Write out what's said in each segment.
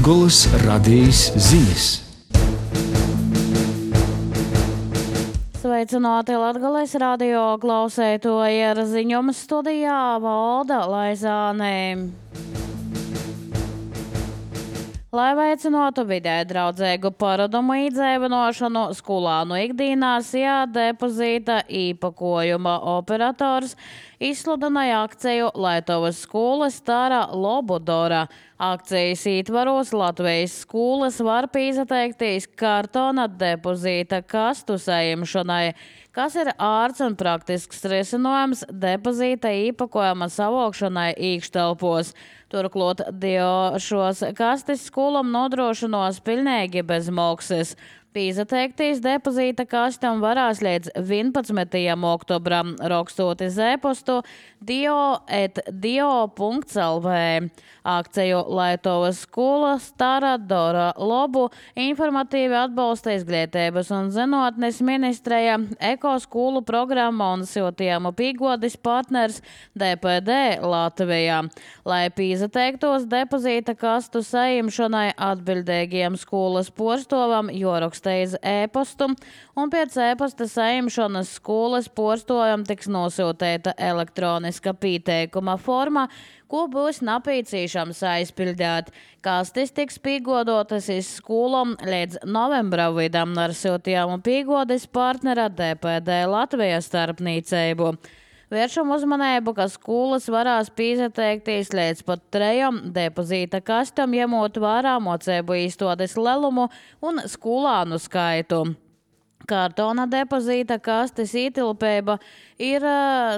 Latgolas radijas ziņas. Sveicināti Latgales radio klausētoji, ar ziņojumu studijā Valda Laizāne. Lai veicinātu vidē draudzīgu paradumu izdzīvināšanu skolānu ikdienās, depozīta īpakojuma operators izsludināja akciju Lietuvas skolas Tara Lobudora. Akcijas ietvaros Latvijas skolas var pieteikties kartona depozīta kastu saimšanai, kas ir ārts un praktisks risinājums depozīta īpakojuma savokšanai iekštelpos. Turklāt šos kastes skolam nodrošinos pilnīgi bez maksas. Pieteikties depozīta kastam varēs līdz 11. oktobram, rakstot uz e-pastu dio@dio.lv. Akciju Lietuvas skolas Tara Lobu informatīvi atbalsta Izglītības un zinātnes ministreja, ekoskolu programma un siltiem pīgodis partners DPD Latvijā. Lai pieteiktos depozīta kastu saimšanai, atbildīgiem skolas porstovam joraksta iz e-pastu, un pēc e-pasta saimšanas skolas porstovam tiks nosūtīta elektroniska pieteikuma forma, ko būs nepieciešams aizpildīt. Kastes tiks piegodotas iz skolām līdz novembra vidam ar siltiem pīgodis partnera DPD Latvijas starpniecību. Vēršam uzmanību, ka skolas varēs pieteikties līdz pat 3 depozīta kastam, ņemot vērā mocību izstādes lielumu un skolānu skaitu. Kartona depozīta kastes ietilpība ir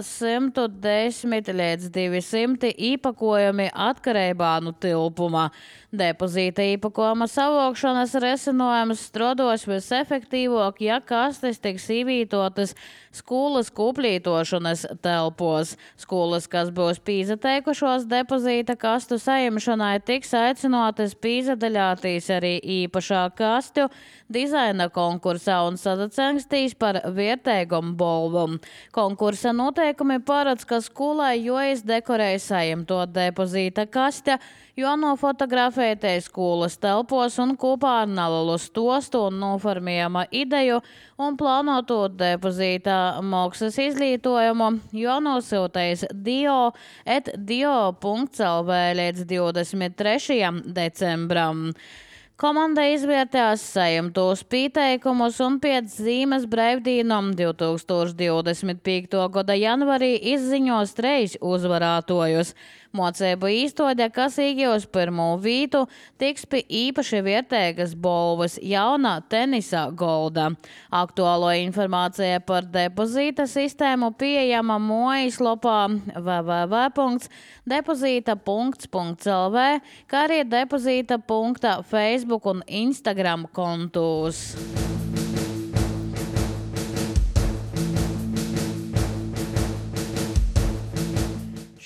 110 līdz 200 īpakojumi atkarībā no tilpuma. Depozīta īpakojuma savokšanas risinājums strādos visefektīvāk, ja kastes tiks ievītotas skolas kuplītošanas telpos. Skolas, kas būs pieteikušos depozīta kastu saimšanai, tiks aicinātas piedaļāties arī īpašā kastu dizaina konkursā un sadacengstīs par vērtīgumu balvu. Konkursa noteikumi paredz, ka skolai jāizdekorē saimto depozīta kaste, jānofotografēties skolas telpos un kopā ar nelielu stostu un noformējama ideju un plānoto depozīta maksas izglītojumu, jānosūtīs dio@dio.lv līdz 23. decembram. Komanda izvērtējās saimtos pieteikumus un pēc zīmes brīvdīnām 2025. gada janvarī izziņos 3 uzvarētojus. Mocību īstode, kas iegūs pirmo vītu, tiks pie īpaši vērtīgas balvas jauna tenisa golda. Aktuālo informācija par depozīta sistēmu pieejama mājaslapā www.depozīta.lv, kā arī depozīta. Facebook un Instagram kontos.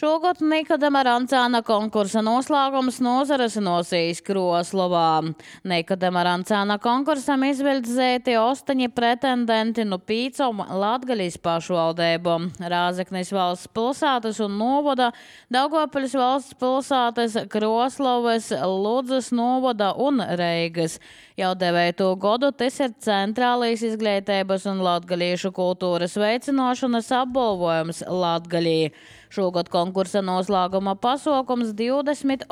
Šogad Nikodema Rancāna konkursa noslēgums nozares nosīs Kroslovā. Nikodema Rancāna konkursam izvirzīti 8 pretendenti no 5 Latgaļas pašvaldībām – Rāzeknis valsts pilsētas un novada, Daugavpils valsts pilsētas, Kroslovas, Ludzas novada un Reigas. Jau 9. gadu tas ir centrālais izglītības un latgaliešu kultūras veicināšanas apbalvojums Latgalī. Šogad konkursa noslēguma pasākums 28.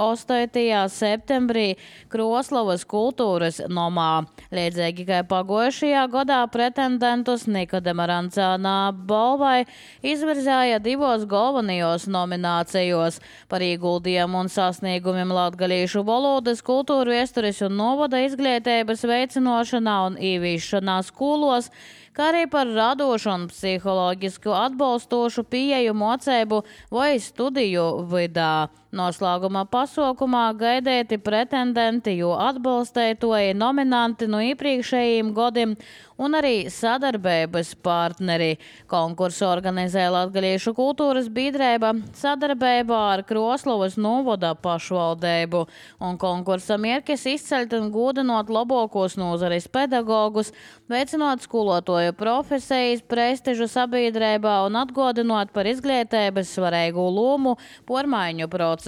septembrī Kroslovas kultūras nomā. Līdzīgi kā pagājušajā gadā pretendentus Nikodema Rancāna balvai izvirzēja 2 galvenajos nominācijos par ieguldījumu un sasniegumiem latgaliešu valodas, kultūru, vēstures un novada izglītības veicināšanā un ieviešanā skolos, kā arī par radošu un psiholoģisku atbalstošu pieeju mocību vai studiju vidā. Noslēguma pasākumā gaidīti pretendenti, jo atbalstētoji nominanti no iepriekšējiem gadiem un arī sadarbības partneri. Konkursu organizē Latgaliešu kultūras biedrība sadarbībā ar Kroslovas novada pašvaldību. Un konkursa mērķis izceļt un godinot labākos nozares pedagogus, veicinot skolotāju profesijas prestižu sabiedrībā un atgādinot par izglītības svarīgu lomu pārmaiņu procesos.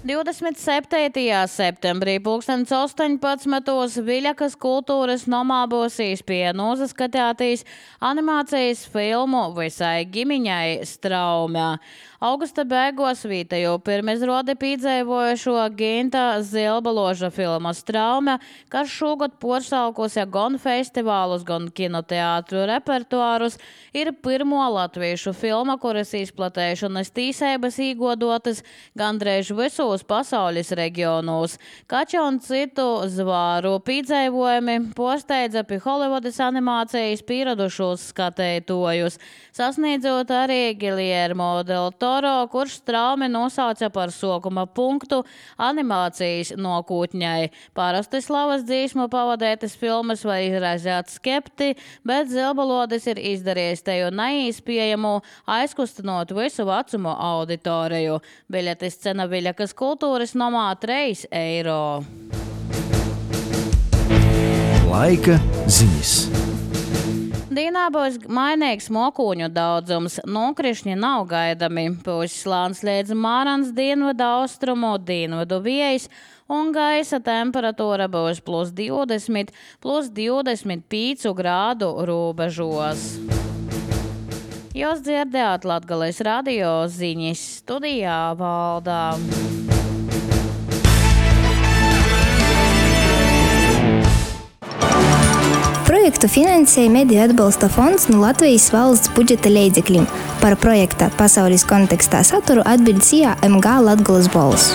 27. septembrī 2018. Viļakas kultūras nomā būs īspēja nosaskatētīs animācijas filmu visai ģimiņai Straumē. Augusta beigās vītēju pirmizrodi pīdzēvojušo Ginta Zilbaloža filma Straume, kas šogad porsalkusi gan festivālus, gan kinoteātru repertuārus, ir pirmo latviešu filma, kuras izplatēšanas tīsēbas īgodotas gandrīz visos pasaules reģionos. Kača un citu zvāru pīdzēvojumi posteidza pie Holivudas animācijas pieradušos skatētojus, sasniedzot arī Guillermo del Toro, kurš Straumi nosauca par sokuma punktu animācijas nokūtņai. Parasti slavas dzīsmu pavadētas filmas var izraizēt skepti, bet Zilbalodis ir izdarījis teju neīspējamu, aizkustinot visu vecumu auditoriju. Biļetes cena Viļakas kultūras nomā 3 eiro. Laika ziņas. Dīnā būs mainīgs mokūņu daudzums, nokrišņi nav gaidami. Pūs slāns līdz Mārans dienvidu austrumu, dienvidu vējs, un gaisa temperatūra būs +20, +25 grādu robežos. Jūs dzirdējāt Latgales radio ziņas, studijā Valdā. Projektu finansēja Mediju atbalsta fonds no Latvijas valsts budžeta līdzekļiem. Par projekta pasaules kontekstā saturu atbild SIA MG Latgales balss.